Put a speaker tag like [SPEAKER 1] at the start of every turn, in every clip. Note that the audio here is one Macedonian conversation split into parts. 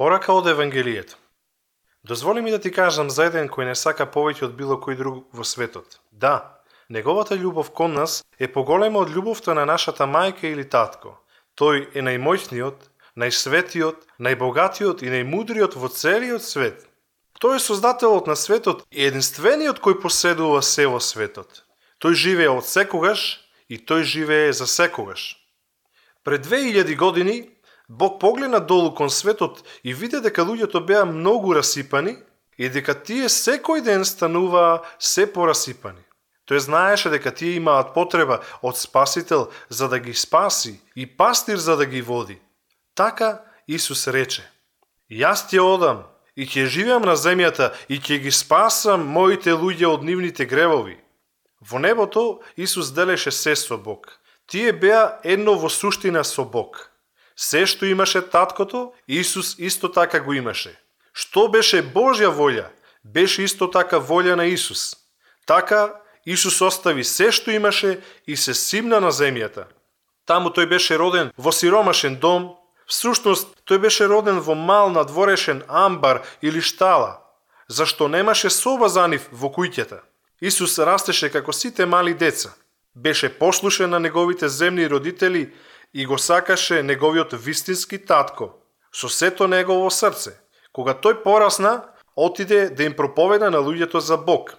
[SPEAKER 1] Порака од Евангелието. Дозволи ми да ти кажам за еден кој не сака повеќе од било кој друг во светот. Да, неговата љубов кон нас е поголема од љубовта на нашата мајка или татко. Тој е најмоćниот, најсветиот, најбогатиот и најмудриот во целиот свет. Тој е создателот на светот и единствениот кој поседува се во светот. Тој живее од секогаш и тој живее за секогаш. Пред 2000 години Бог погледна долу кон светот и виде дека луѓето беа многу расипани и дека тие секој ден стануваа се порасипани. Тој знаеше дека тие имаат потреба од спасител за да ги спаси и пастир за да ги води. Така Исус рече: Јас ќе одам и ќе живеам на земјата и ќе ги спасам моите луѓе од нивните гревови. Во небото Исус делеше се со Бог. Тие беа едно во суштина со Бог. Се што имаше таткото, Исус исто така го имаше. Што беше Божја волја, беше исто така волја на Исус. Така Исус остави се што имаше и се симна на земјата. Таму тој беше роден во сиромашен дом, всушност тој беше роден во мал надворешен амбар или штала, зашто немаше соба за нив во куќата. Исус растеше како сите мали деца. Беше послушен на неговите земни родители и го сакаше неговиот вистински татко со сето негово срце. Кога тој порасна, отиде да им проповеда на луѓето за Бог.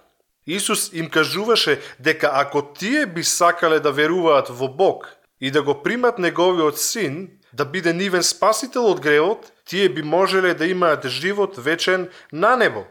[SPEAKER 1] Исус им кажуваше дека ако тие би сакале да веруваат во Бог и да го примат неговиот син, да биде нивен спасител од гревот, тие би можеле да имаат живот вечен на небо.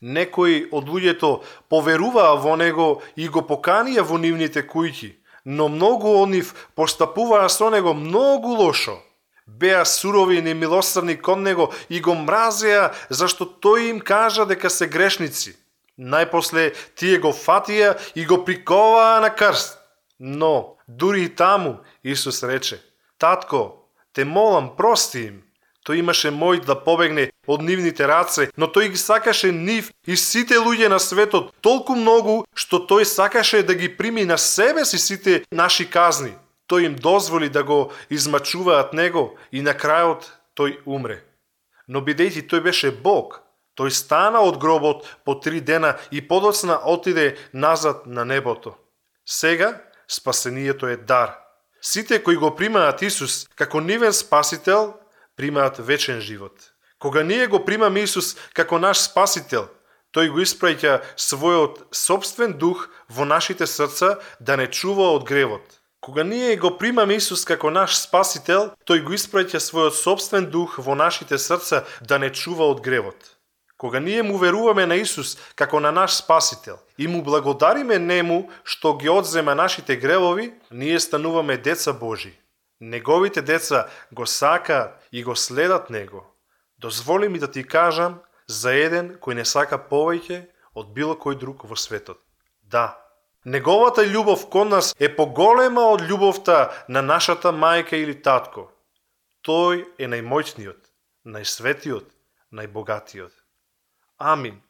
[SPEAKER 1] Некои од луѓето поверуваа во него и го поканија во нивните куќи, но многу од нив постапуваа со него многу лошо. Беа сурови и немилосрдни кон него и го мразеа зашто тој им кажа дека се грешници. Најпосле тие го фатија и го приковаа на крст. Но дури и таму Исус рече: Татко, те молам, прости им. Тој имаше мој да побегне од нивните раце, но тој ги сакаше нив и сите луѓе на светот толку многу, што тој сакаше да ги прими на себе си сите наши казни. Тој им дозволи да го измачуваат него и на крајот тој умре. Но бидејќи тој беше Бог, тој стана од гробот по 3 дена и подоцна отиде назад на небото. Сега спасението е дар. Сите кои го примаат Исус како нивен спасител, примаат вечен живот. Кога ние го примаме Исус како наш спасител, тој го испраќа својот собствен дух во нашите срца да не чува од гревот. Кога ние го примаме Исус како наш спасител, тој го испраќа својот собствен дух во нашите срца да не чува од гревот. Кога ние му веруваме на Исус како на наш спасител и му благодариме нему што ги одзема нашите гревови, ние стануваме деца Божи. Неговите деца го сакаат и го следат него. Дозволи ми да ти кажам за еден кој не сака повеќе од било кој друг во светот. Да, неговата љубов кон нас е поголема од љубовта на нашата мајка или татко. Тој е најмоćниот, најсветиот, најбогатиот. Амин.